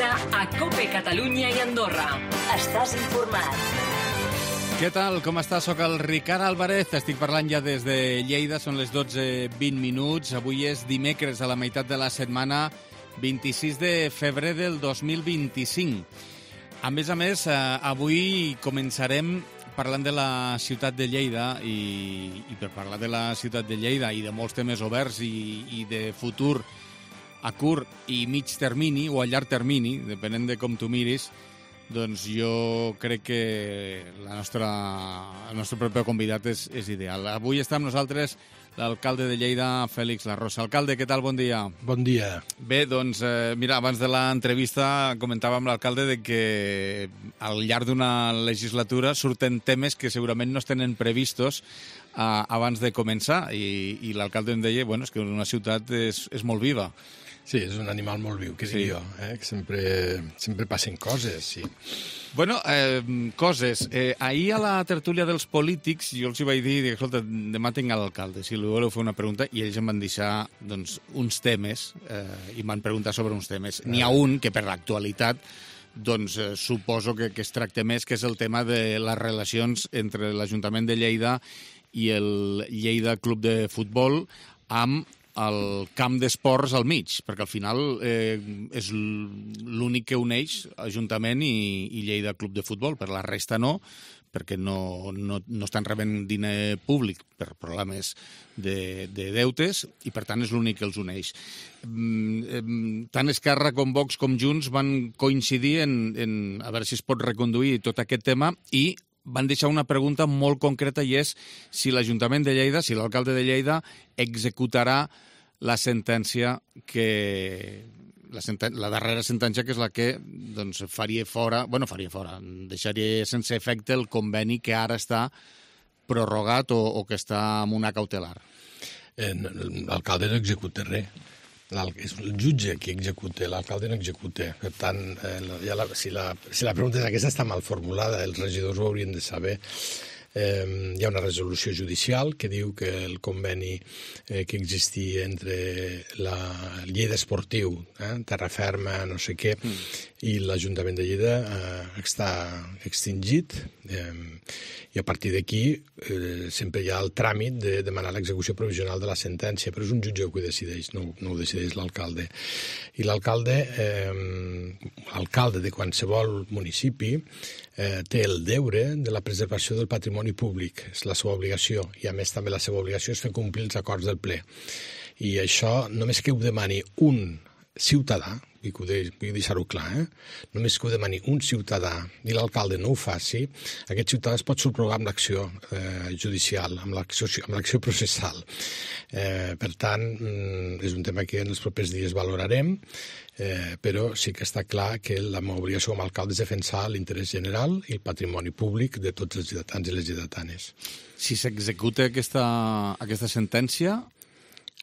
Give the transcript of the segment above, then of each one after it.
dia a COPE Catalunya i Andorra. Estàs informat. Què tal? Com estàs? Soc el Ricard Álvarez. Estic parlant ja des de Lleida. Són les 12:20. Avui és dimecres, a la meitat de la setmana, 26 de febrer del 2025. A més, avui començarem parlant de la ciutat de Lleida i per parlar de la ciutat de Lleida i de molts temes oberts i de futur a curt i mig termini o a llarg termini, depenent de com tu miris, doncs jo crec que el nostre proper convidat és ideal. Avui està amb nosaltres l'alcalde de Lleida, Fèlix Larrosa. Alcalde, què tal? Bon dia. Bon dia. Bé, doncs, mira, abans de l'entrevista comentava amb l'alcalde de que al llarg d'una legislatura surten temes que segurament no es tenen previstos abans de començar i l'alcalde em deia és que una ciutat és molt viva. Sí, és un animal molt viu, que dic jo, que sempre passen coses, sí. Bueno, coses. Ahir a la tertúlia dels polítics jo els hi vaig dir, escolta, demà tinc l'alcalde, si li voleu fer una pregunta, i ells em van deixar uns temes, i m'han preguntat sobre uns temes. N'hi ha un que per l'actualitat suposo que es tracta més, que és el tema de les relacions entre l'Ajuntament de Lleida i el Lleida Club de Futbol amb el camp d'esports al mig, perquè al final és l'únic que uneix Ajuntament i Lleida Club de Futbol. Per la resta no, perquè no estan rebent diner públic per problemes de deutes i, per tant, és l'únic que els uneix. Tant Esquerra com Vox com Junts van coincidir en a veure si es pot reconduir tot aquest tema i van deixar una pregunta molt concreta i és si l'Ajuntament de Lleida, si l'alcalde de Lleida executarà la sentència la darrera sentència, que és la que faria fora, deixaria sense efecte el conveni que ara està prorrogat o que està amb una cautelar. L'alcalde no executa res. És el jutge qui executa, l'alcalde no executa. Per tant, si la pregunta és aquesta, està mal formulada, els regidors ho haurien de saber. Hi ha una resolució judicial que diu que el conveni que existia entre el Lleida Esportiu, Terra Ferma, no sé què, i l'Ajuntament de Lleida està extingit i a partir d'aquí sempre hi ha el tràmit de demanar l'execució provisional de la sentència, però és un jutge que ho decideix, no ho decideix l'alcalde. I l'alcalde de qualsevol municipi té el deure de la preservació del patrimoni públic, és la seva obligació, i a més també la seva obligació és fer complir els acords del ple. I això només que ho demani un ciutadà, vull deixar-ho clar, només que ho demani un ciutadà i l'alcalde no ho faci, aquest ciutadà es pot subrogar amb l'acció judicial, amb l'acció processal. Per tant, és un tema que en els propers dies valorarem, però sí que està clar que la meva obligació com a alcalde és defensar l'interès general i el patrimoni públic de tots els lleidatans i les lleidatanes. Si s'executa aquesta sentència,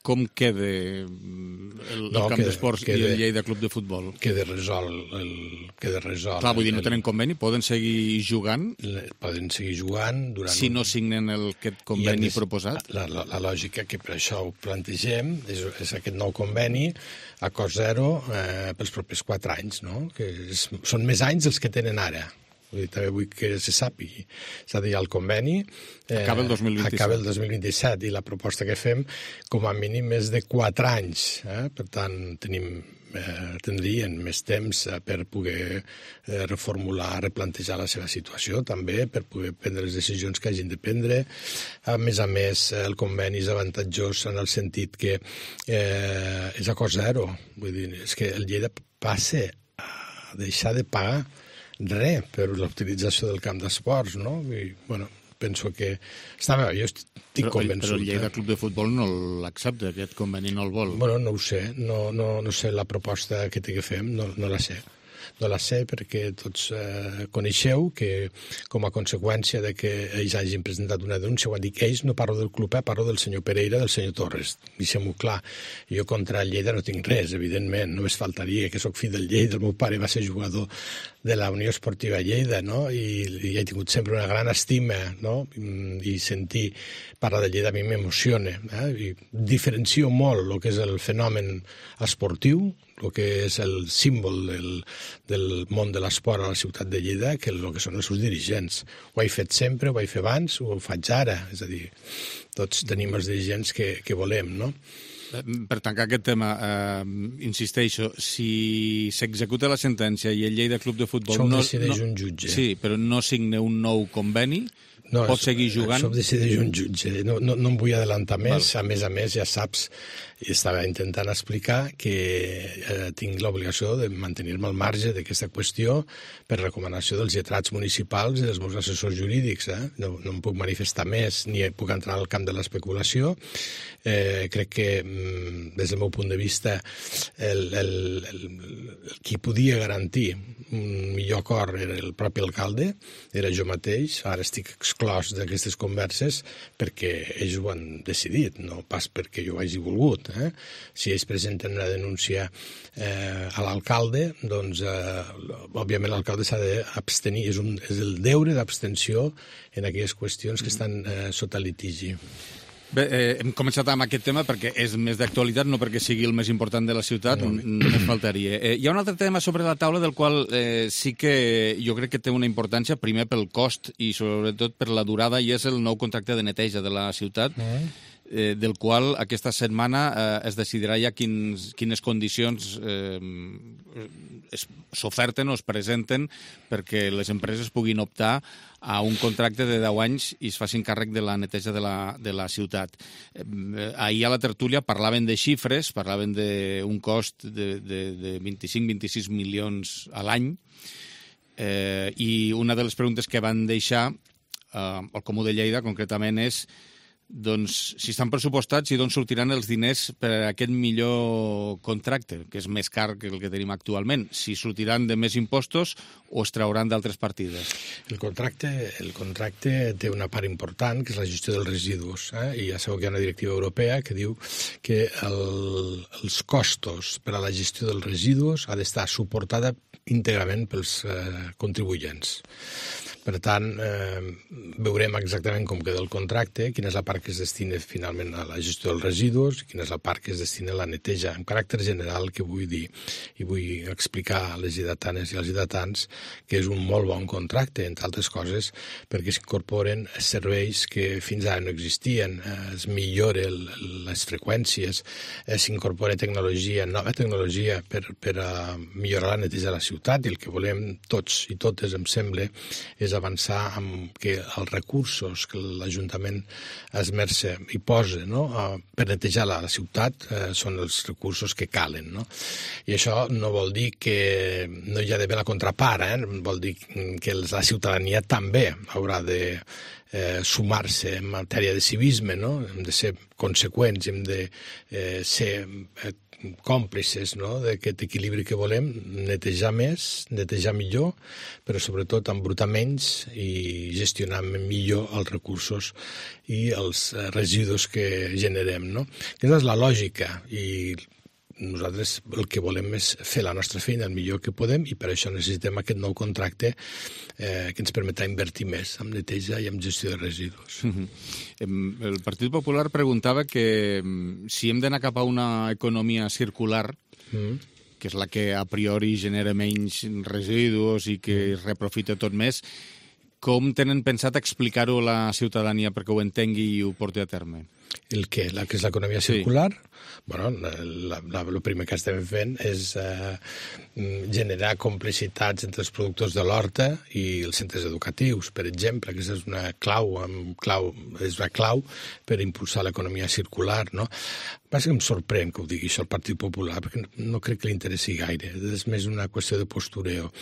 com queda el camp d'esports i el Lleida Club de Futbol? Queda resolt. Clar, vull dir, no tenen conveni? Poden seguir jugant? Poden seguir jugant durant... Si no signen aquest conveni proposat? La lògica que per això ho plantegem és aquest nou conveni a cost zero pels propers 4 anys, no? Que són més anys els que tenen ara. També vull que se sàpigui. És a dir, el conveni acaba el 2027. Acaba el 2027 i la proposta que fem com a mínim és de 4 anys. Per tant, tindrien més temps per poder reformular, replantejar la seva situació, també per poder prendre les decisions que hagin de prendre. A més, el conveni és avantatjós en el sentit que és a cost zero. Vull dir, és que el Lleida passa a deixar de pagar res per l'utilització del camp d'esports, no? I, penso que està bé, jo estic convençut. Però el Lleida Club de Futbol no l'accepta, aquest conveni no el vol. No ho sé, no sé la proposta que té que fem, no la sé. No la sé perquè tots coneixeu que com a conseqüència de que ells hagin presentat una denúncia, ho han dit que ells, no parlo del club, parlo del senyor Pereira, del senyor Torres. Deixem-ho clar. Jo contra el Lleida no tinc res, evidentment, només faltaria que sóc fill del Lleida, el meu pare va ser jugador de la Unió Esportiva Lleida, no? I he tingut sempre una gran estima, no? I sentir parlar de Lleida a mi m'emociona. I diferencio molt el que és el fenomen esportiu, el que és el símbol del món de l'esport a la ciutat de Lleida que el que són els seus dirigents. Ho he fet sempre, ho he fet abans, ho faig ara. És a dir, tots tenim els dirigents que volem, no? Per tancar aquest tema, insisteixo, si s'executa la sentència i el Lleida Club de Futbol... Això ho decideix un jutge. Sí, però no signa un nou conveni, pot seguir jugant... Això ho decideix un jutge. No em vull adelantar més. A més, ja saps, i estava intentant explicar que tinc l'obligació de mantenir-me al marge d'aquesta qüestió per recomanació dels lletrats municipals i dels meus assessors jurídics. No em puc manifestar més, ni puc entrar al camp de l'especulació. Crec que, des del meu punt de vista, qui podia garantir un millor acord era el propi alcalde, era jo mateix. Ara estic exclòs d'aquestes converses perquè ells ho han decidit, no pas perquè jo ho hagi volgut. Si ells presenten una denúncia a l'alcalde, doncs, òbviament l'alcalde s'ha d'abstenir. És el deure d'abstenció en aquelles qüestions que estan sota litigi. Bé, hem començat amb aquest tema perquè és més d'actualitat, no perquè sigui el més important de la ciutat, només faltaria. Hi ha un altre tema sobre la taula del qual sí que jo crec que té una importància, primer pel cost i sobretot per la durada, i és el nou contracte de neteja de la ciutat, del qual aquesta setmana es decidirà ja quines condicions s'oferten o es presenten perquè les empreses puguin optar a un contracte de 10 anys i es facin càrrec de la neteja de la ciutat. Ahir a la tertúlia parlaven de xifres, parlaven d'un cost de 25-26 milions a l'any, i una de les preguntes que van deixar al Comú de Lleida concretament és doncs, si estan pressupostats i d'on sortiran els diners per a aquest millor contracte, que és més car que el que tenim actualment, si sortiran de més impostos o es trauran d'altres partides. El contracte té una part important, que és la gestió dels residus, i ja sabeu que hi ha una directiva europea que diu que els costos per a la gestió dels residus ha d'estar suportada íntegrament pels contribuents. Per tant, veurem exactament com queda el contracte, quina és la part que es destina finalment a la gestió dels residus i quina és la part que es destina a la neteja. En caràcter general, que vull dir, i vull explicar a les lleidatanes i als lleidatans que és un molt bon contracte, entre altres coses, perquè s'incorporen serveis que fins ara no existien, es millora les freqüències, s'incorpora tecnologia, nova tecnologia per millorar la neteja de la ciutat, i el que volem tots i totes, em sembla, és avançar amb que els recursos que l'Ajuntament esmerça i posa, no, per netejar la ciutat són els recursos que calen. No? I això no vol dir que no hi ha d'haver la contrapart, vol dir que la ciutadania també haurà de sumar-se en matèria de civisme, no? Hem de ser conseqüents, hem de ser còmplices, no?, d'aquest equilibri que volem, netejar més, netejar millor, però sobretot embrutar menys i gestionar millor els recursos i els residus que generem, no? Aquesta és la lògica, i nosaltres el que volem és fer la nostra feina el millor que podem, i per això necessitem aquest nou contracte que ens permetrà invertir més en neteja i en gestió de residus. El Partit Popular preguntava que si hem d'anar cap a una economia circular, que és la que a priori genera menys residus i que es reprofita tot més, com tenen pensat explicar-ho a la ciutadania perquè ho entengui i ho porti a terme? El què? La que és l'economia circular? Bueno, el primer que estem fent és generar complicitats entre els productors de l'horta i els centres educatius, per exemple. Aquesta és una clau per impulsar l'economia circular, no? Passa que em sorprèn que ho digui això el Partit Popular, perquè no crec que li interessi gaire. És més una qüestió de postureo.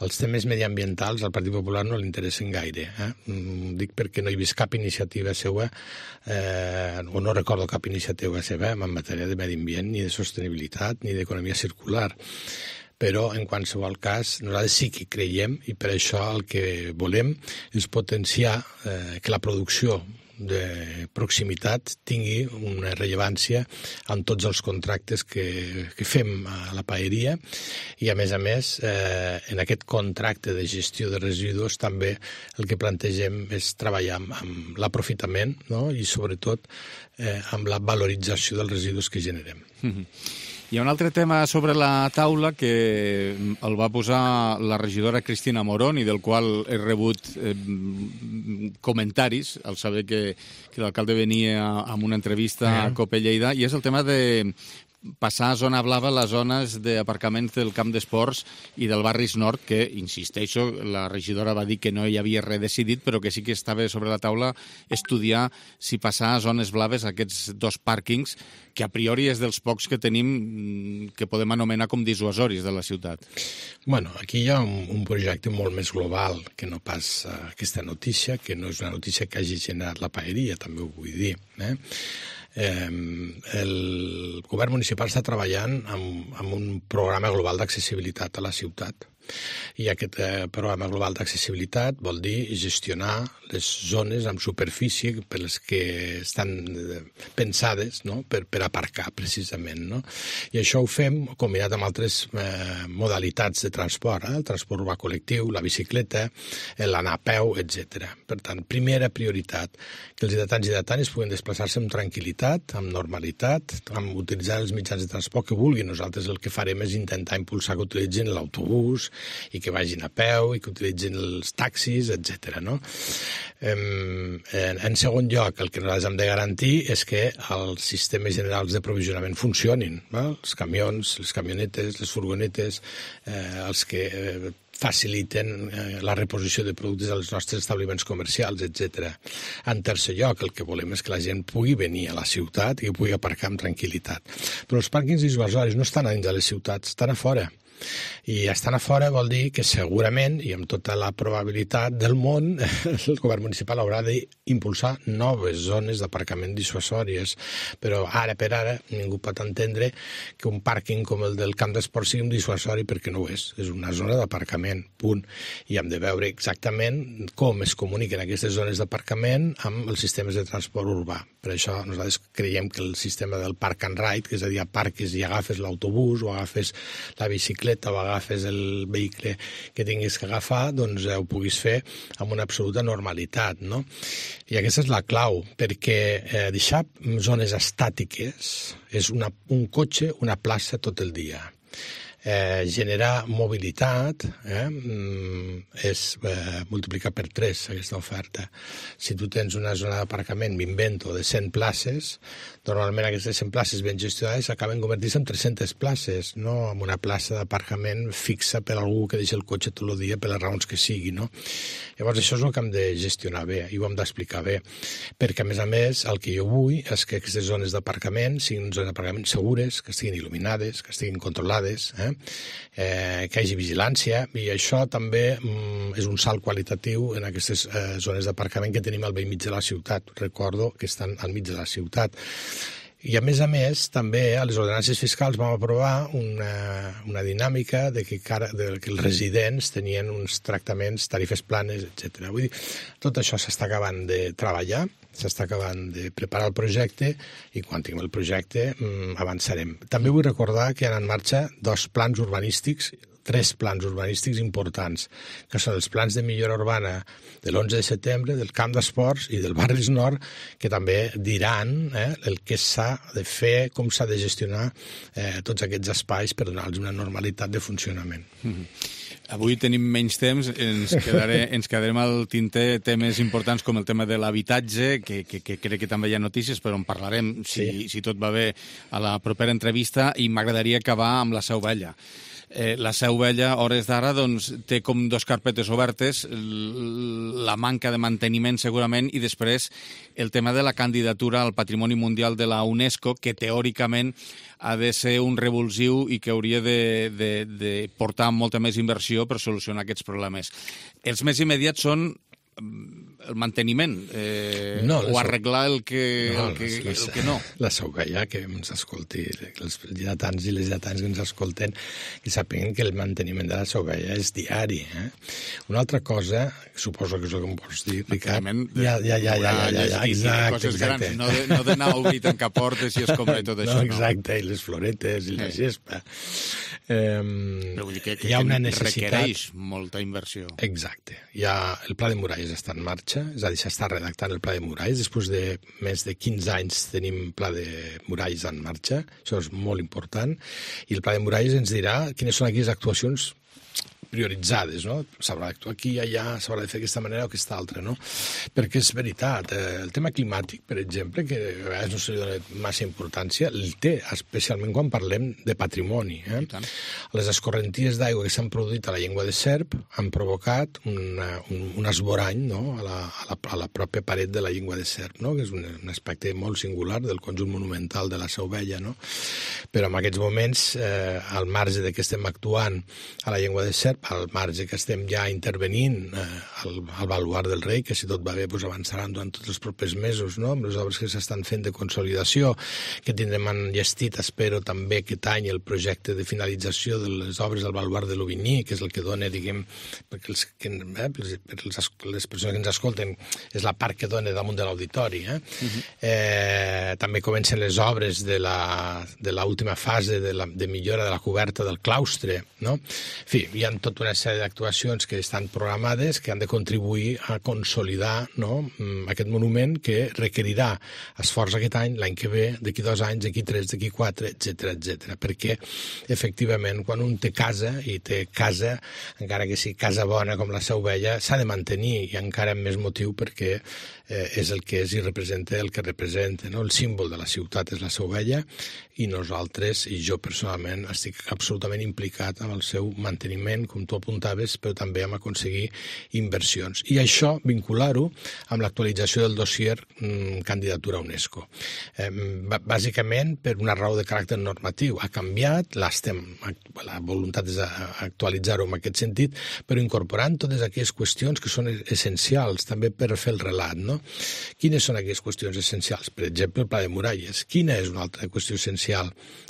Els temes mediambientals al Partit Popular no li interessen gaire. Dic perquè no he vist cap iniciativa seva, o no recordo cap iniciativa seva en matèria de medi ambient, ni de sostenibilitat, ni d'economia circular. Però, en qualsevol cas, nosaltres sí que creiem, i per això el que volem és potenciar que la producció de proximitat tingui una rellevància en tots els contractes que fem a la paeria, i a més, en aquest contracte de gestió de residus també el que plantegem és treballar amb l'aprofitament, no? I sobretot amb la valorització dels residus que generem. Hi ha un altre tema sobre la taula que el va posar la regidora Cristina Morón i del qual he rebut comentaris al saber que l'alcalde venia amb una entrevista a Cope Lleida, i és el tema de passar a zona blava les zones d'aparcaments del camp d'esports i del Barris Nord, que, insisteixo, la regidora va dir que no hi havia res decidit, però que sí que estava sobre la taula estudiar si passar a zones blaves aquests dos pàrquings, que a priori és dels pocs que tenim que podem anomenar com dissuasoris de la ciutat. Bueno, aquí hi ha un projecte molt més global que no pas aquesta notícia, que no és una notícia que hagi generat la paeria, també ho vull dir, el govern municipal està treballant amb un programa global d'accessibilitat a la ciutat. I aquest programa global d'accessibilitat vol dir gestionar les zones amb superfície per les que estan pensades, no? per aparcar, precisament. No? I això ho fem combinat amb altres modalitats de transport, el transport urbà col·lectiu, la bicicleta, l'anar a peu, etc. Per tant, primera prioritat, que els lleidatans i lleidatanes puguin desplaçar-se amb tranquil·litat, amb normalitat, amb utilitzar els mitjans de transport que vulguin. Nosaltres el que farem és intentar impulsar que utilitzin l'autobús, i que vagin a peu i que utilitzin els taxis, etc. No? En segon lloc, el que nosaltres hem de garantir és que els sistemes generals de provisionament funcionin. Els camions, les camionetes, les furgonetes, els que faciliten la reposició de productes als nostres establiments comercials, etc. En tercer lloc, el que volem és que la gent pugui venir a la ciutat i que pugui aparcar amb tranquil·litat. Però els pàrquings dissuasoris no estan a dins de les ciutats, estan a fora. I estan a fora vol dir que segurament, i amb tota la probabilitat del món, el govern municipal haurà d'impulsar noves zones d'aparcament dissuasòries. Però ara per ara ningú pot entendre que un pàrquing com el del camp d'esport sigui un dissuasori, perquè no ho és. És una zona d'aparcament, punt. I hem de veure exactament com es comuniquen aquestes zones d'aparcament amb els sistemes de transport urbà. Per això nosaltres creiem que el sistema del park and ride, que és a dir, aparques i agafes l'autobús o agafes la bicicleta o agafes el vehicle que tinguis que agafar, doncs ho puguis fer amb una absoluta normalitat, no? I aquesta és la clau, perquè deixar zones estàtiques és un cotxe, una plaça tot el dia. Generar mobilitat és multiplicar per 3 aquesta oferta. Si tu tens una zona d'aparcament, m'invento, de 100 places, normalment aquestes 100 places ben gestionades acaben convertint-se en 300 places, no en una plaça d'aparcament fixa per algú que deixa el cotxe tot el dia per les raons que sigui, no? Llavors això és el que hem de gestionar bé i ho hem d'explicar bé, perquè a més el que jo vull és que aquestes zones d'aparcament siguin zones d'aparcament segures, que estiguin il·luminades, que estiguin controlades, que hi hagi vigilància, i això també és un salt qualitatiu en aquestes zones d'aparcament que tenim al vell mig de la ciutat. Recordo que estan al mig de la ciutat. I a més, també a les ordenances fiscals vam aprovar una dinàmica de que els residents tenien uns tractaments, tarifes planes, etc. Vull dir, tot això s'està acabant de treballar, s'està acabant de preparar el projecte i quan tinguem el projecte avançarem. També vull recordar que hi ha en marxa 2 plans urbanístics, 3 plans urbanístics importants, que són els plans de millora urbana de l'11 de setembre, del camp d'esports i del Barris Nord, que també diran el que s'ha de fer, com s'ha de gestionar tots aquests espais per donar-los una normalitat de funcionament. Avui tenim menys temps, ens quedarem al tinter temes importants com el tema de l'habitatge, que crec que també hi ha notícies, però en parlarem, si tot va bé, a la propera entrevista, i m'agradaria acabar amb la Seu Vella. La Seu Vella, hores d'ara, doncs, té com 2 carpetes obertes, la manca de manteniment segurament, i després el tema de la candidatura al Patrimoni Mundial de la UNESCO, que teòricament ha de ser un revulsiu i que hauria de portar molta més inversió per solucionar aquests problemes. Els més immediats són el manteniment o arreglar el que no. La Seu Vella, que ens escolti, els lleidatans i les lleidatanes que ens escolten, que sàpiguen que el manteniment de la Seu Vella és diari. Una altra cosa, suposo que és el que em pots dir, Ricard. Exacte. No d'anar a obrir tancar portes i escombrar tot això. No, exacte, i les floretes i la gespa. Però vull dir que hi ha una necessitat... requereix molta inversió. Exacte. El Pla de Muralles està en marxa, és a dir, s'està redactant el Pla de Muralles. Després de més de 15 anys tenim Pla de Muralles en marxa, això és molt important, i el Pla de Muralles ens dirà quines són aquelles actuacions prioritzades, no? S'haurà d'actuar aquí i allà, s'haurà de fer d'aquesta manera o aquesta altra, no? Perquè és veritat, el tema climàtic, per exemple, que a vegades no se li dona massa importància, el té, especialment quan parlem de patrimoni. Les escorrenties d'aigua que s'han produït a la Llengua de Serp han provocat un esborany, no? a la pròpia paret de la Llengua de Serp, no? Que és un aspecte molt singular del conjunt monumental de la Seu Vella, no? Però en aquests moments, al marge de que estem actuant a la Llengua de Serp, al marge que estem ja intervenint al Baluard del Rei, que si tot va bé avançaran durant tots els propers mesos, no? Amb les obres que s'estan fent de consolidació, que tindrem enllestit, espero, també aquest any el projecte de finalització de les obres del Baluard de l'Aubigny, que és el que dona, diguem, perquè les persones que ens escolten, és la part que dona damunt de l'auditori. També comencen les obres de l'última fase de millora de la coberta del claustre, no? En fi, hi ha tota una sèrie d'actuacions que estan programades que han de contribuir a consolidar, no, aquest monument que requerirà esforç aquest any, l'any que ve, d'aquí 2 anys, d'aquí 3, d'aquí 4, etc. Perquè, efectivament, quan un té casa, i té casa, encara que sigui casa bona com la Seu Vella, s'ha de mantenir, i encara amb més motiu perquè és el que és i representa el que representa, no? El símbol de la ciutat és la Seu Vella, i nosaltres, i jo personalment, estic absolutament implicat amb el seu manteniment, com tu apuntaves, però també amb aconseguir inversions. I això, vincular-ho amb l'actualització del dossier candidatura a UNESCO. Bàsicament, per una raó de caràcter normatiu. Ha canviat, la voluntat és actualitzar-ho en aquest sentit, però incorporant totes aquelles qüestions que són essencials també per fer el relat, no? Quines són aquelles qüestions essencials? Per exemple, el Pla de Muralles. Quina és una altra qüestió essencial?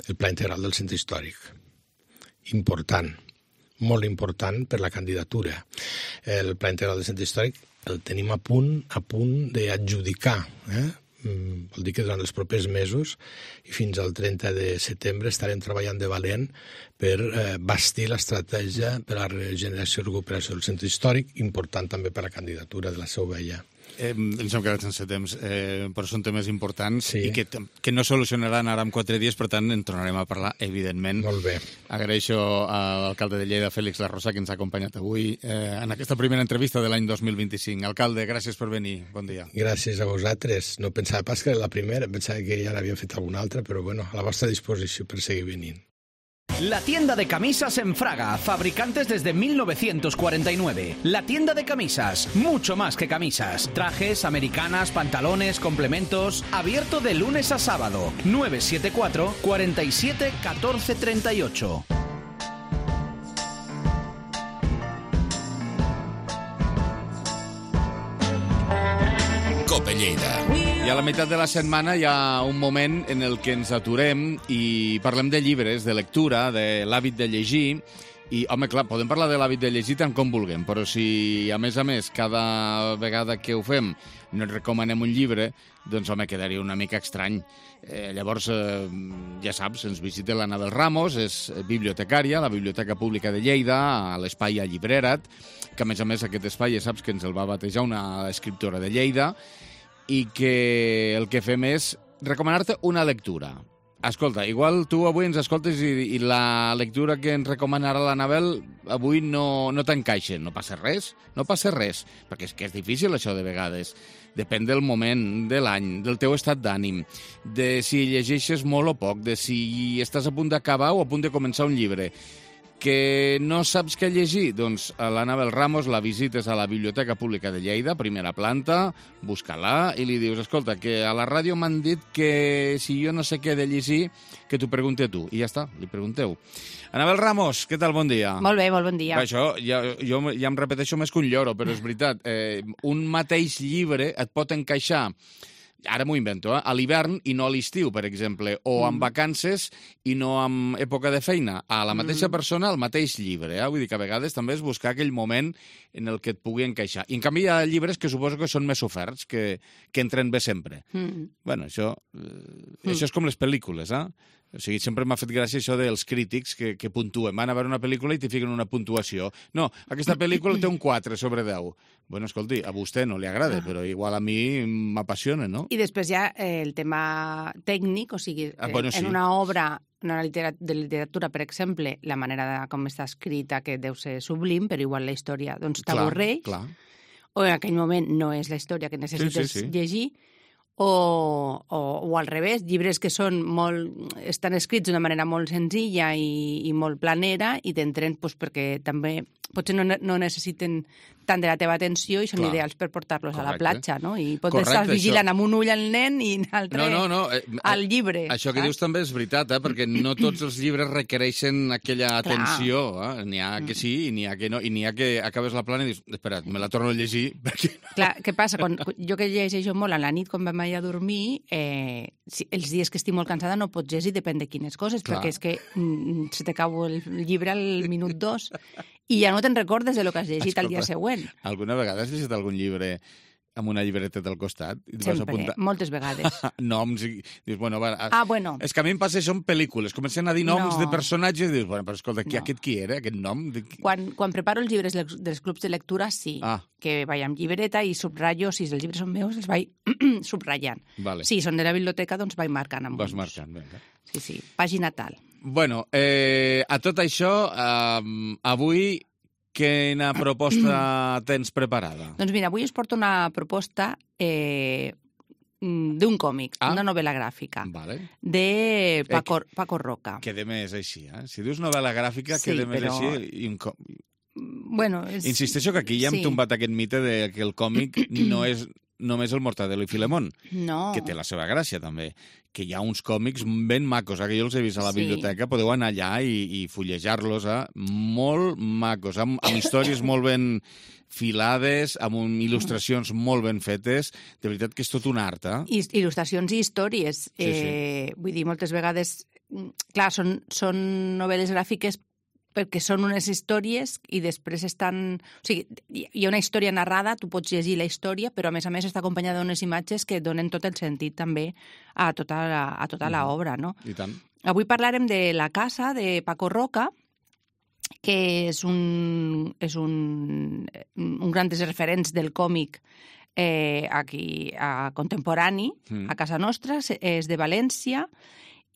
El Pla Integral del Centre Històric. Important. Molt important per la candidatura. El Pla Integral del Centre Històric el tenim a punt d'adjudicar. Vol dir que durant els propers mesos i fins al 30 de setembre estarem treballant de valent per bastir l'estratègia per a la regeneració i recuperació del centre històric, important també per a la candidatura de la Seu Vella. Ens hem quedat sense temps, però són temes importants i que no solucionaran ara en 4 dies, per tant en tornarem a parlar, evidentment. Molt bé. Agraeixo a l'alcalde de Lleida, Fèlix Larrosa, que ens ha acompanyat avui en aquesta primera entrevista de l'any 2025. Alcalde, gràcies per venir. Bon dia. Gràcies a vosaltres. No pensava pas que era la primera, pensava que ja n'havia fet alguna altra, però bueno, a la vostra disposició per seguir venint. La tienda de camisas en Fraga, fabricantes desde 1949. La tienda de camisas, mucho más que camisas. Trajes, americanas, pantalones, complementos. Abierto de lunes a sábado. 974 47 14 38. Cope Lleida. I a la meitat de la setmana hi ha un moment en el que ens aturem i parlem de llibres, de lectura, de l'hàbit de llegir. I, home, clar, podem parlar de l'hàbit de llegir tant com vulguem, però si, a més, cada vegada que ho fem no et recomanem un llibre, doncs, home, quedaria una mica estrany. Llavors, ja saps, ens visita l'Anabel Ramos, és bibliotecària a la Biblioteca Pública de Lleida, a l'espai A Llibrera't, que, a més, aquest espai, ja saps que ens el va batejar una escriptora de Lleida, i que el que fem és recomanar-te una lectura. Escolta, igual tu avui ens escoltes i la lectura que ens recomana ara l'Anabel avui no t'encaixa. No passa res, perquè és que és difícil això de vegades. Depèn del moment, de l'any, del teu estat d'ànim, de si llegeixes molt o poc, de si estàs a punt d'acabar o a punt de començar un llibre. Que no saps què llegir? Doncs a l'Anabel Ramos la visites a la Biblioteca Pública de Lleida, primera planta, busca-la i li dius, escolta, que a la ràdio m'han dit que si jo no sé què he de llegir, que t'ho pregunti a tu. I ja està, li pregunteu. Anabel Ramos, què tal? Bon dia. Molt bé, molt bon dia. Això, jo ja em repeteixo més que un lloro, però és veritat. Un mateix llibre et pot encaixar, ara m'ho invento, a l'hivern i no a l'estiu, per exemple, o en vacances i no en època de feina. A la mateixa persona, el mateix llibre. Vull dir que a vegades també és buscar aquell moment en el que et pugui encaixar. I en canvi hi ha llibres que suposo que són més oferts, que entren bé sempre. Bueno, això és com les pel·lícules, O sigui, sempre m'ha fet gràcia això dels crítics que puntuen. Van a veure una pel·lícula i t'hi fiquen una puntuació. No, aquesta pel·lícula té un 4 sobre 10. Bueno, escolti, a vostè no li agrada, però igual a mi m'apassiona, no? I després hi ha el tema tècnic, o sigui, sí. en una obra de literatura, per exemple, la manera com està escrita, que deu ser sublim, però igual la història doncs t'avorreix, o en aquell moment no és la història que necessites llegir, o al revés, llibres que estan escrits d'una manera molt senzilla i molt planera i t'entren perquè també potser no necessiten tant de la teva atenció i són ideals per portar-los a la platja, no? I pots estar vigilant amb un ull al nen i l'altre al llibre. Això que dius també és veritat, perquè no tots els llibres requereixen aquella atenció. N'hi ha que sí i n'hi ha que no. I n'hi ha que acabes la plana i dius, espera, me la torno a llegir. Clar, què passa? Jo que llegeixo molt a la nit quan vam anar a dormir, els dies que estic molt cansada no pots llegir, depèn de quines coses, perquè és que se t'acaba el llibre al minut 2 i ja no te'n recordes de lo que has llegit al dia següent. Alguna vegada has llegit algun llibre amb una llibreteta al costat? Sempre, moltes vegades. Noms i dius, bueno... bueno. És que a mi em passa això en pel·lícules. Comencen a dir noms de personatges i dius, bueno, però escolta, aquest qui era, aquest nom? Quan preparo els llibres dels clubs de lectura, sí, que vaig amb llibreta i subratllo, si els llibres són meus, els vaig subratllant. Si són de la biblioteca, doncs vaig marcant amb Vas marcant, vinga. Sí, pàgina tal. Bueno, a tot això, avui quina proposta tens preparada? Doncs mira, avui us porto una proposta d'un còmic, una novel·la gràfica, de Paco Roca. Queda més així, Si dius novel·la gràfica, queda més així. Bueno, insisteixo que aquí ja hem tombat aquest mite de que el còmic no és només el Mortadelo i Filemón, que té la seva gràcia també, que hi ha uns còmics ben macos, que jo els he vist a la biblioteca, podeu anar allà i fullejar-los, molt macos, amb històries molt ben filades, amb il·lustracions molt ben fetes, de veritat que és tot un art. Il·lustracions i històries. Vull dir, moltes vegades, clar, són novel·les gràfiques perquè són unes històries i després estan... O sigui, hi ha una història narrada, tu pots llegir la història, però a més està acompanyada d'unes imatges que donen tot el sentit també a tota l'obra, no? I tant. Avui parlarem de La casa, de Paco Roca, que és un gran dels referents del còmic aquí contemporani, a casa nostra, és de València,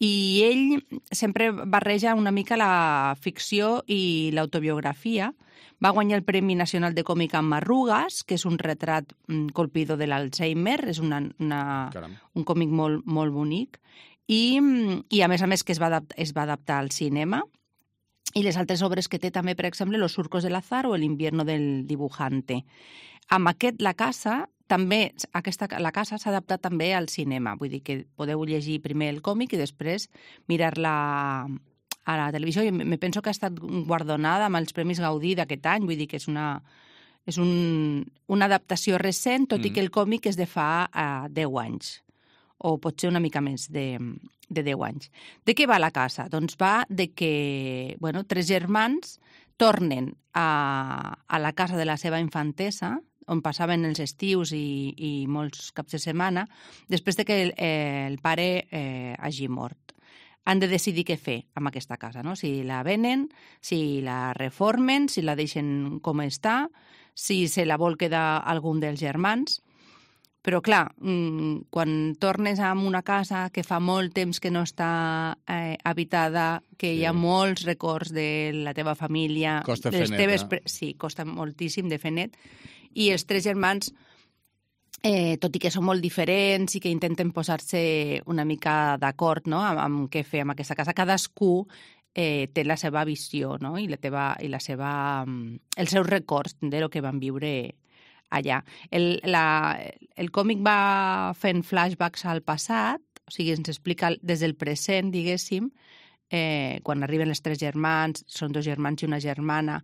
i ell sempre barreja una mica la ficció i l'autobiografia. Va guanyar el Premi Nacional de Còmic amb Arrugues, que és un retrat colpidor de l'Alzheimer, és un còmic molt, molt bonic, i a més que es va adaptar al cinema. I les altres obres que té també, per exemple, Los surcos del azar o El invierno del dibujante. Amb aquest, La casa, també, La casa s'ha adaptat també al cinema, vull dir que podeu llegir primer el còmic i després mirar-la a la televisió. I me penso que ha estat guardonada amb els Premis Gaudí d'aquest any, vull dir que és una adaptació recent, tot i que el còmic és de fa 10 anys, o potser una mica més de 10 anys. De què va La casa? Doncs va de que 3 germans tornen a la casa de la seva infantesa, on passaven els estius i molts caps de setmana, després de que el pare hagi mort. Han de decidir què fer amb aquesta casa, no? Si la venen, si la reformen, si la deixen com està, si se la vol quedar algun dels germans. Però, clar, quan tornes a una casa que fa molt temps que no està habitada, que hi ha molts records de la teva família... Costa fer net, Sí, costa moltíssim de fer net. I els 3 germans, tot i que són molt diferents i que intenten posar-se una mica d'acord, no?, amb què fer amb aquesta casa, cadascú té la seva visió, no?, i els seus records de lo que van viure allà. El còmic va fent flashbacks al passat, o sigui, ens explica des del present, diguéssim, quan arriben els 3 germans, són 2 germans i una germana,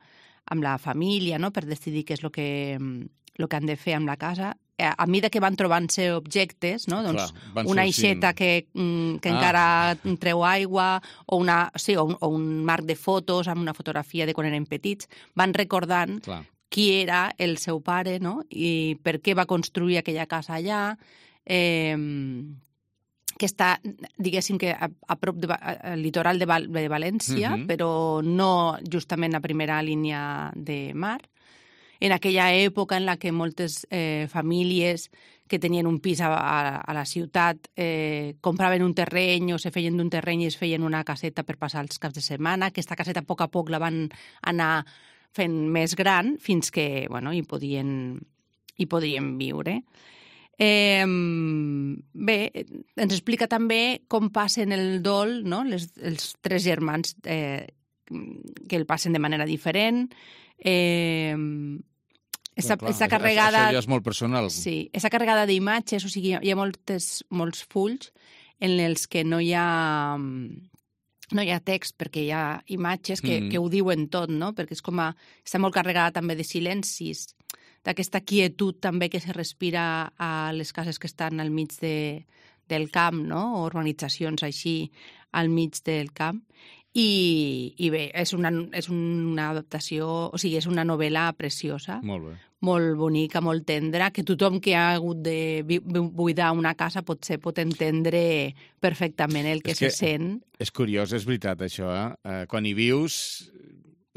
amb la família, no?, per decidir què és el que han de fer amb la casa. A mesura que van trobant-se objectes, no?, doncs una aixeta que encara treu aigua, o un marc de fotos amb una fotografia de quan eren petits, van recordant qui era el seu pare, no?, i per què va construir aquella casa allà, que està, diguéssim, que a prop al litoral de València, però no justament a primera línia de mar. En aquella època en la que moltes famílies que tenien un pis a la ciutat compraven un terreny o se feien d'un terreny i es feien una caseta per passar els caps de setmana. Aquesta caseta a poc la van anar fent més gran fins que hi podien viure. Bé, ens explica també com passen el dol, no? Els tres germans que el passen de manera diferent. Està carregada... Això ja és molt personal. Sí, està carregada d'imatges, o sigui, hi ha molts fulls en els que no hi ha text, perquè hi ha imatges que ho diuen tot, no? Perquè està molt carregada també de silencis, d'aquesta quietud també que se respira a les cases que estan al mig del camp, no? O urbanitzacions així al mig del camp. I bé, és una adaptació, o sigui, és una novel·la preciosa. Molt bé. Molt bonica, molt tendra, que tothom que ha hagut de buidar una casa potser pot entendre perfectament el que se sent. És curiós, és veritat, això. Quan hi vius,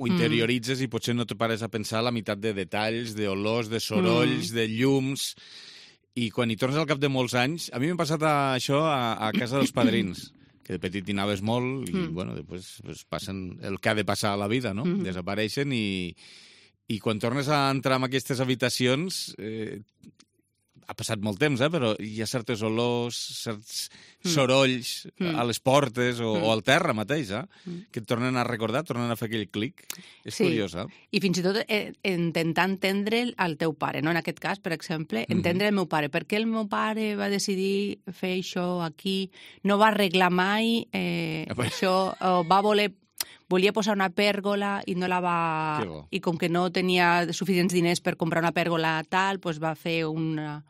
ho interioritzes i potser no te pares a pensar la meitat de detalls, d'olors, de sorolls, de llums... I quan hi tornes al cap de molts anys... A mi m'ha passat això a casa dels padrins, que de petit hi anaves molt i, després passen el que ha de passar a la vida, no? Desapareixen i quan tornes a entrar en aquestes habitacions... Ha passat molt temps, però hi ha certes olors, certs sorolls a les portes o al terra mateix, que et tornen a recordar, tornen a fer aquell clic. És curiós, I fins i tot intentar entendre el teu pare, no? En aquest cas, per exemple, entendre el meu pare. Per què el meu pare va decidir fer això aquí? No va arreglar mai això, volia posar una pèrgola i no la va... I com que no tenia suficients diners per comprar una pèrgola tal, doncs va fer una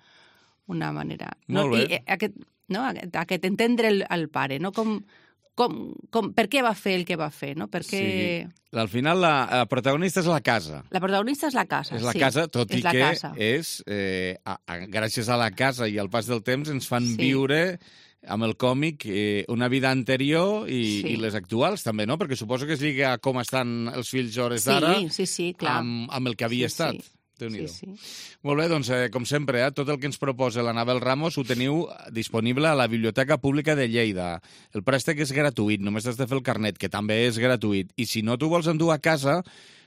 manera... Molt bé. I aquest entendre el pare, no? Per què va fer el que va fer, no? Perquè... Sí. Al final la protagonista és la casa. La protagonista és la casa, és la casa, tot i que és, gràcies a la casa i al pas del temps, ens fan viure... amb el còmic, una vida anterior i les actuals, també, no? Perquè suposo que es lliga com estan els fills hores d'ara clar. Amb el que havia estat. Sí. Molt bé, doncs, com sempre, tot el que ens proposa l'Anabel Ramos ho teniu disponible a la Biblioteca Pública de Lleida. El préstec és gratuït, només has de fer el carnet, que també és gratuït. I si no t'ho vols endur a casa,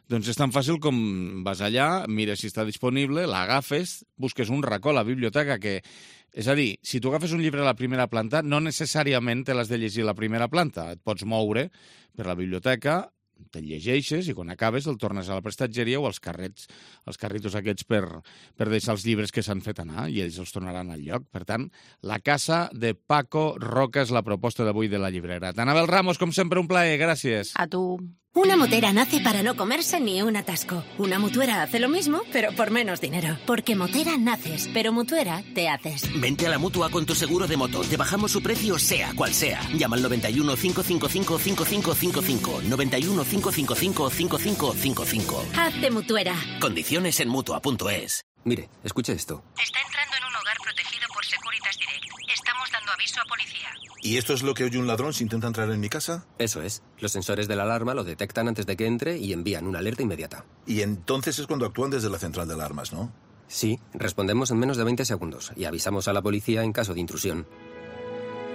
doncs és tan fàcil com vas allà, mires si està disponible, l'agafes, busques un racó a la biblioteca que... És a dir, si tu agafes un llibre a la primera planta, no necessàriament te l'has de llegir a la primera planta. Et pots moure per la biblioteca, te'l llegeixes i quan acabes el tornes a la prestatgeria o als carritos aquests per deixar els llibres que s'han fet anar i ells els tornaran al lloc. Per tant, La casa de Paco Roca és la proposta d'avui de la llibrera. Anabel Ramos, com sempre, un plaer. Gràcies. A tu. Una motera nace para no comerse ni un atasco. Una mutuera hace lo mismo, pero por menos dinero. Porque motera naces, pero mutuera te haces. Vente a la Mutua con tu seguro de moto. Te bajamos su precio sea cual sea. Llama al 91 555 5555. 91 555 5555. Hazte mutuera. Condiciones en Mutua.es. Mire, escuche esto. Está entrando en un hogar protegido por Securitas Direct. Estamos dando aviso a policía. ¿Y esto es lo que oye un ladrón si intenta entrar en mi casa? Eso es. Los sensores de la alarma lo detectan antes de que entre y envían una alerta inmediata. Y entonces es cuando actúan desde la central de alarmas, ¿no? Sí, respondemos en menos de 20 segundos y avisamos a la policía en caso de intrusión.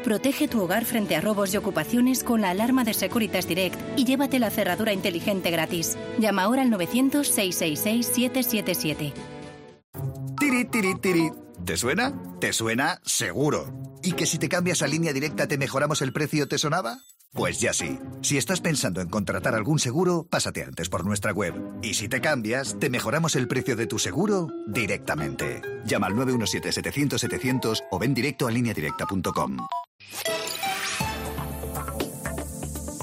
Protege tu hogar frente a robos y ocupaciones con la alarma de Securitas Direct y llévate la cerradura inteligente gratis. Llama ahora al 900-666-777. Tiri, tiri, tiri. ¿Te suena? ¿Te suena? Seguro. ¿Y que si te cambias a Línea Directa te mejoramos el precio te sonaba? Pues ya sí. Si estás pensando en contratar algún seguro, pásate antes por nuestra web. Y si te cambias, te mejoramos el precio de tu seguro directamente. Llama al 917-700-700 o ven directo a lineadirecta.com.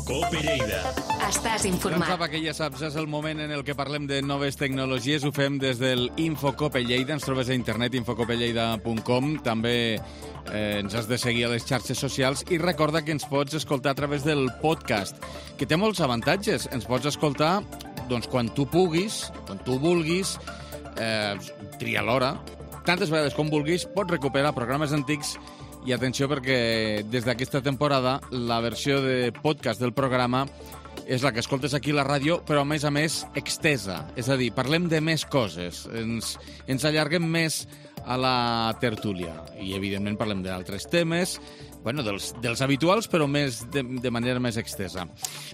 Cope Lleida. Estàs informat. Doncs que ja saps, és el moment en el que parlem de noves tecnologies. Ho fem des del Infocope Lleida. Ens trobes a internet, infocopelleida.com. També ens has de seguir a les xarxes socials i recorda que ens pots escoltar a través del podcast, que té molts avantatges. Ens pots escoltar doncs, quan tu puguis, quan tu vulguis, tria l'hora, tantes vegades com vulguis, pots recuperar programes antics I atenció perquè des d'aquesta temporada la versió de podcast del programa és la que escoltes aquí a la ràdio, però a més extesa. És a dir, parlem de més coses, ens allarguem més a la tertúlia i, evidentment, parlem d'altres temes, bueno, dels habituals, però de manera més extesa.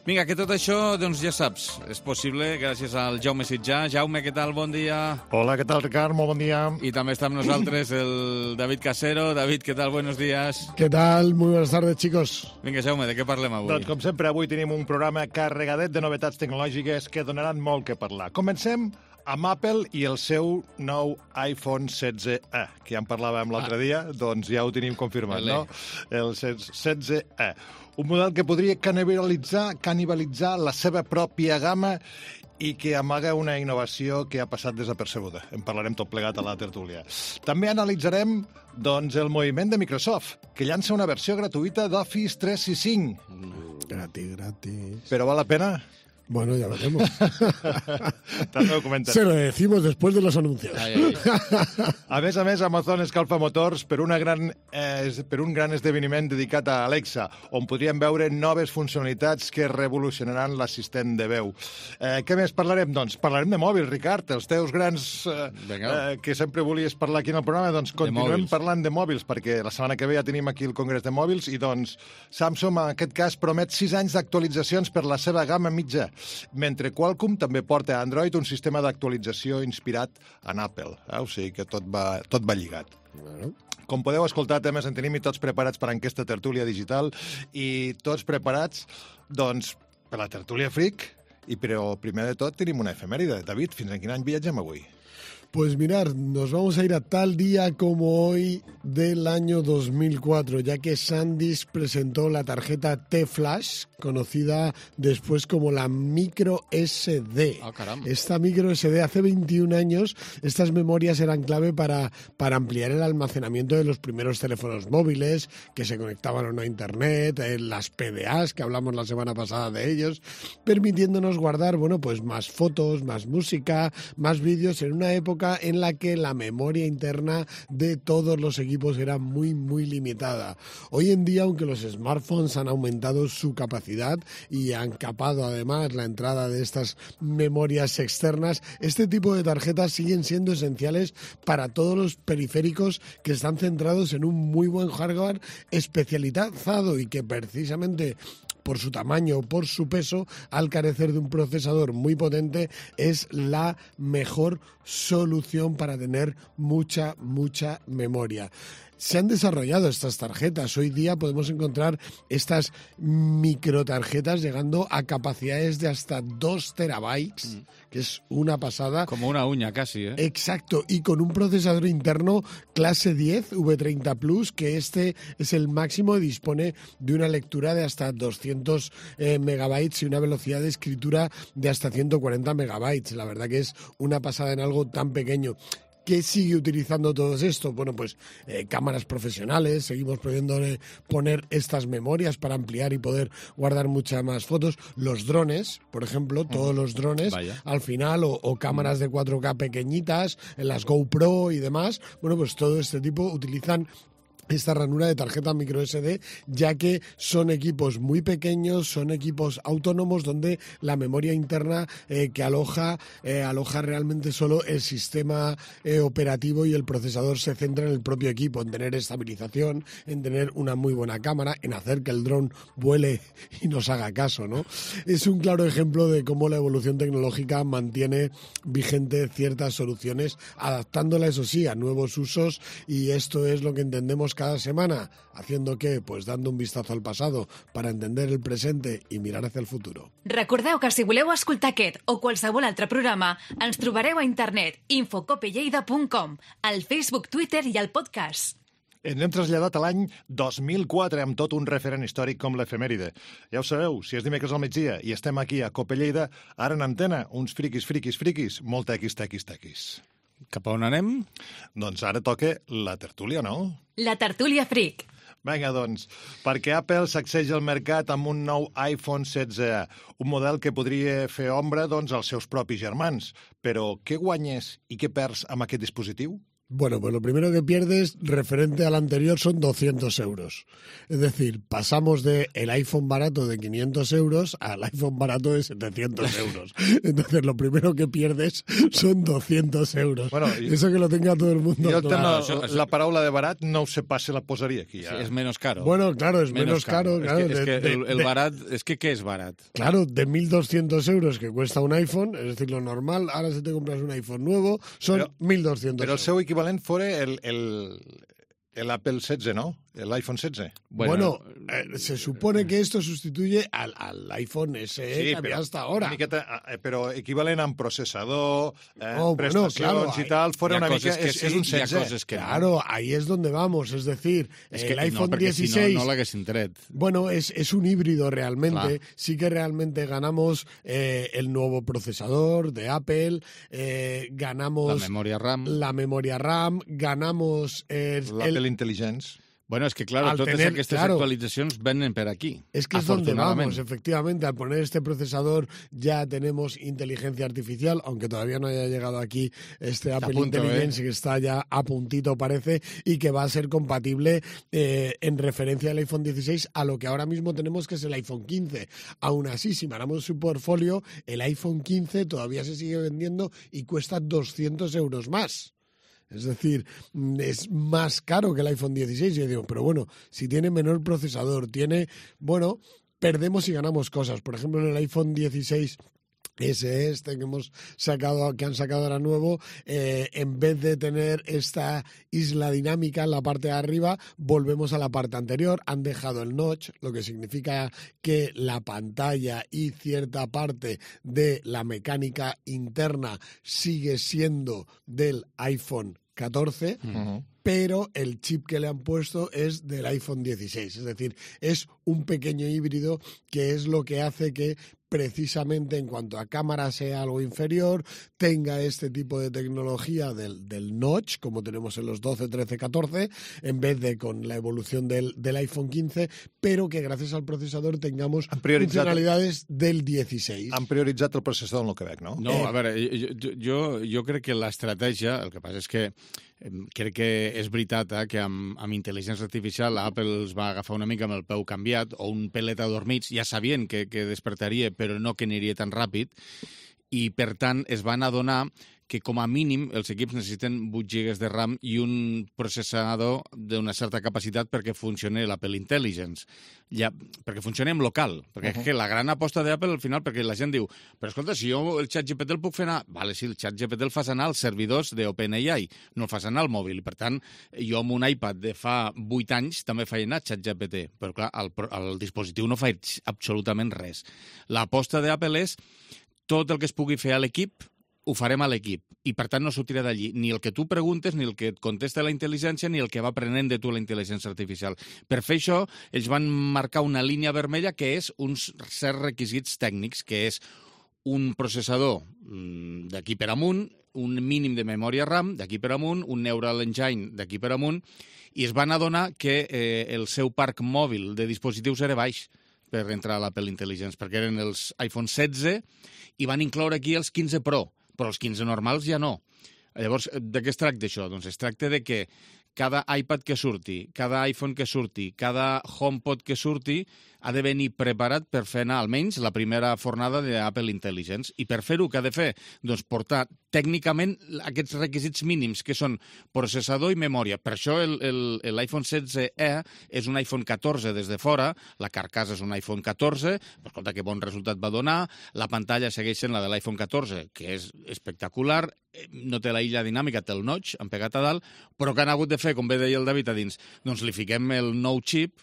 Vinga, que tot això, doncs ja saps, és possible gràcies al Jaume Sitjà. Jaume, què tal? Bon dia. Hola, què tal, Ricard? Molt bon dia. I també està amb nosaltres el David Casero. David, què tal? Buenos días. ¿Qué tal? Muy buenas tardes, chicos. Vinga, Jaume, de què parlem avui? Doncs, com sempre, avui tenim un programa carregadet de novetats tecnològiques que donaran molt que parlar. Comencem amb Apple i el seu nou iPhone 16e, que ja en parlàvem l'altre dia, doncs ja ho tenim confirmat, no? El 16e. Un model que podria canibalitzar la seva pròpia gamma i que amaga una innovació que ha passat desapercebuda. En parlarem tot plegat a la tertúlia. També analitzarem doncs, el moviment de Microsoft, que llança una versió gratuïta d'Office 365. Gratis. Però val la pena? Bueno, ya veremos. També ho comentarem. Se lo decimos después de los anuncios. A més, Amazon escalfa motors per un gran esdeveniment dedicat a Alexa, on podríem veure noves funcionalitats que revolucionaran l'assistent de veu. Què més parlarem? Doncs parlarem de mòbils, Ricard, els teus grans que sempre volies parlar aquí en el programa, doncs continuem parlant de mòbils, perquè la setmana que ve ja tenim aquí el Congrés de Mòbils i doncs Samsung, en aquest cas, promet 6 anys d'actualitzacions per la seva gamma mitja, mentre Qualcomm també porta a Android un sistema d'actualització inspirat en Apple. O sigui que tot va lligat. Com podeu escoltar, temes en tenim i tots preparats per a aquesta tertúlia digital i tots preparats, doncs, per la tertúlia Freak, però primer de tot tenim una efemèride. David, fins a quin any viatgem avui? Pues mirar, nos vamos a ir a tal día como hoy del año 2004, ya que SanDisk presentó la tarjeta T-Flash, conocida después como la micro SD. Ah, caramba. Esta micro SD, hace 21 años, estas memorias eran clave para ampliar el almacenamiento de los primeros teléfonos móviles que se conectaban a una internet, las PDAs, que hablamos la semana pasada de ellos, permitiéndonos guardar, bueno, pues más fotos, más música, más vídeos en una época en la que la memoria interna de todos los equipos era muy, muy limitada. Hoy en día, aunque los smartphones han aumentado su capacidad y han capado además la entrada de estas memorias externas, este tipo de tarjetas siguen siendo esenciales para todos los periféricos que están centrados en un muy buen hardware especializado y que precisamente por su tamaño o por su peso, al carecer de un procesador muy potente, es la mejor solución para tener mucha memoria. Se han desarrollado estas tarjetas. Hoy día podemos encontrar estas microtarjetas llegando a capacidades de hasta 2 terabytes, que es una pasada. Como una uña casi, ¿eh? Exacto, y con un procesador interno clase 10 V30 Plus, que este es el máximo y dispone de una lectura de hasta 200 megabytes y una velocidad de escritura de hasta 140 megabytes. La verdad que es una pasada en algo tan pequeño. ¿Qué sigue utilizando todo esto? Bueno, pues cámaras profesionales, seguimos pudiendo poner estas memorias para ampliar y poder guardar muchas más fotos. Los drones, por ejemplo, todos los drones, al final, o cámaras de 4K pequeñitas, en las GoPro y demás, bueno, pues todo este tipo utilizan esta ranura de tarjeta micro SD, ya que son equipos muy pequeños, son equipos autónomos donde la memoria interna que aloja realmente solo el sistema operativo y el procesador se centra en el propio equipo, en tener estabilización, en tener una muy buena cámara, en hacer que el dron vuele y nos haga caso, ¿no? Es un claro ejemplo de cómo la evolución tecnológica mantiene vigente ciertas soluciones, adaptándola, eso sí, a nuevos usos, y esto es lo que entendemos cada semana, haciendo que, pues dando un vistazo al pasado para entender el presente i mirar hacia el futuro. Recordeu que si voleu escoltar aquest o qualsevol altre programa, ens trobareu a internet infocopelleida.com, al Facebook, Twitter i al podcast. Ens hem traslladat a l'any 2004 amb tot un referent històric com l'efemèride. Ja ho sabeu, si és dimecres al migdia i estem aquí a Cope Lleida, ara en antena, uns friquis, molt tequis. Cap a on anem? Doncs ara toca la tertúlia, no? La tertúlia Freak. Vinga, doncs, perquè Apple sacseja el mercat amb un nou iPhone 16, un model que podria fer ombra doncs, als seus propis germans. Però què guanyes i què perds amb aquest dispositiu? Bueno, pues lo primero que pierdes referente al anterior son 200 euros. Es decir, pasamos de el iPhone barato de 500 euros al iPhone barato de 700 euros. Entonces, lo primero que pierdes son 200 euros. Bueno, eso que lo tenga todo el mundo. Jo la paraula de barat no ho sé pas si la posaria aquí. Sí, és menos caro. Bueno, claro, es menos caro. Claro, Es que el barat... Es que ¿qué es barat? Claro, de 1.200 euros que cuesta un iPhone, es decir, lo normal, ahora si te compras un iPhone nuevo, son 1.200 Però el euros. seu equivalent fora el Apple 16, ¿no? El iPhone 16. Bueno, se supone que esto sustituye al iPhone SE que había hasta ahora. Una miqueta, però equivalent amb processador, bueno, prestacions claro, y tal, fuera una mica... Es un 16. Claro, ahí es donde vamos. Es decir, Es que el iPhone no, perquè 16... Si no l'haguessin tret. Bueno, es un híbrido realmente. Clar. Sí que realmente ganamos el nuevo procesador de Apple, ganamos... La memoria RAM. Ganamos... L'Apple Intelligence. Bueno, es que claro, totes aquestes actualitzacions venen per aquí. Es que es donde vamos, efectivamente. Al poner este procesador ya tenemos inteligencia artificial, aunque todavía no haya llegado aquí este Apple Intelligence, que está ya a puntito parece, y que va a ser compatible en referencia al iPhone 16 a lo que ahora mismo tenemos, que es el iPhone 15. Aún así, si miramos su portfolio, el iPhone 15 todavía se sigue vendiendo y cuesta 200 euros más. Es decir, es más caro que el iPhone 16. Yo digo, pero bueno, si tiene menor procesador, bueno, perdemos y ganamos cosas. Por ejemplo, en el iPhone 16 SE que han sacado ahora nuevo, en vez de tener esta isla dinámica en la parte de arriba, volvemos a la parte anterior. Han dejado el notch, lo que significa que la pantalla y cierta parte de la mecánica interna sigue siendo del iPhone 14, pero el chip que le han puesto es del iPhone 16. Es decir, es un pequeño híbrido que es lo que hace que precisamente en cuanto a cámara sea algo inferior, tenga este tipo de tecnología del notch, como tenemos en los 12, 13, 14, en vez de con la evolución del iPhone 15, pero que gracias al procesador tengamos funcionalidades del 16. Han prioritzat el processador en el Quebec, no? No, a veure, jo crec que l'estratègia, el que passa és que crec que és veritat que amb intel·ligència artificial Apple es va agafar una mica amb el peu canviat o un pelet adormits, ja sabien que despertaria però no que aniria tan ràpid i per tant es van adonar que com a mínim els equips necessiten 8 GB de RAM i un processador d'una certa capacitat perquè funcioni l'Apple Intelligence. Perquè funcioni en local. Perquè és que la gran aposta d'Apple al final, perquè la gent diu, però escolta, si jo el ChatGPT el puc fer anar... Vale, sí, el ChatGPT el fas anar als servidors d'OpenAI, no el fas anar al mòbil. Per tant, jo amb un iPad de fa 8 anys també faig anar ChatGPT, però clar, el dispositiu no faig absolutament res. L'aposta d'Apple és tot el que es pugui fer a l'equip ho farem a l'equip, i per tant no sortirà d'allí ni el que tu preguntes, ni el que et contesta la intel·ligència, ni el que va aprenent de tu la intel·ligència artificial. Per fer això, ells van marcar una línia vermella que és uns certs requisits tècnics, que és un processador d'aquí per amunt, un mínim de memòria RAM d'aquí per amunt, un Neural Engine d'aquí per amunt, i es van adonar que el seu parc mòbil de dispositius era baix per entrar a l'Apple Intelligence, perquè eren els iPhone 16 i van incloure aquí els 15 Pro, però els 15 normals ja no. Llavors, de què es tracta això? Doncs es tracta de que cada iPad que surti, cada iPhone que surti, cada HomePod que surti, ha de venir preparat per fer anar almenys la primera fornada d'Apple Intelligence. I per fer-ho, què ha de fer? Doncs portar tècnicament aquests requisits mínims, que són processador i memòria. Per això l'iPhone 16e és un iPhone 14 des de fora, la carcassa és un iPhone 14, però escolta, que bon resultat va donar, la pantalla segueix sent la de l'iPhone 14, que és espectacular, no té la illa dinàmica, té el notch empegat a dalt, però que han hagut de fer, com bé deia el David a dins, doncs li fiquem el nou xip,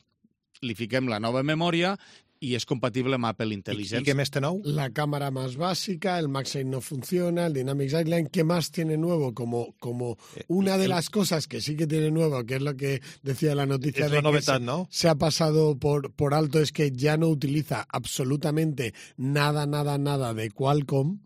li fiquem la nova memòria y es compatible amb Apple Intelligence. ¿Y qué más tiene nuevo? La cámara más básica, el MagSafe no funciona, el Dynamic Sightline. ¿Qué más tiene nuevo? Como una de las cosas que sí que tiene nuevo, que es lo que decía la noticia, es de la novedad, que ¿no? Se ha pasado por alto, es que ya no utiliza absolutamente nada de Qualcomm.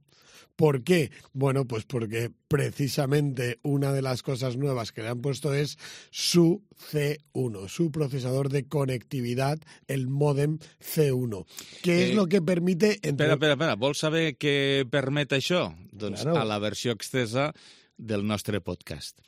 ¿Por qué? Bueno, pues porque precisamente una de las cosas nuevas que le han puesto es su C1, su procesador de conectividad, el mòdem C1. ¿Qué es lo que permite... Espera. Vols saber què permet això? Doncs claro. A la versió extesa del nostre podcast.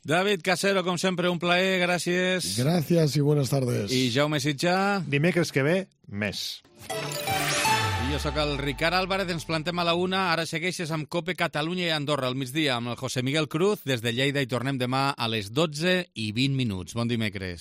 David Casero, com sempre, un plaer, gràcies. Gracias y buenas tardes. I Jaume Sitjà. Dimecres que ve, més. I jo sóc el Ricard Álvarez, ens plantem a la 1. Ara segueixes amb COPE Catalunya i Andorra al migdia amb el José Miguel Cruz des de Lleida i tornem demà a les 12:20. Bon dimecres.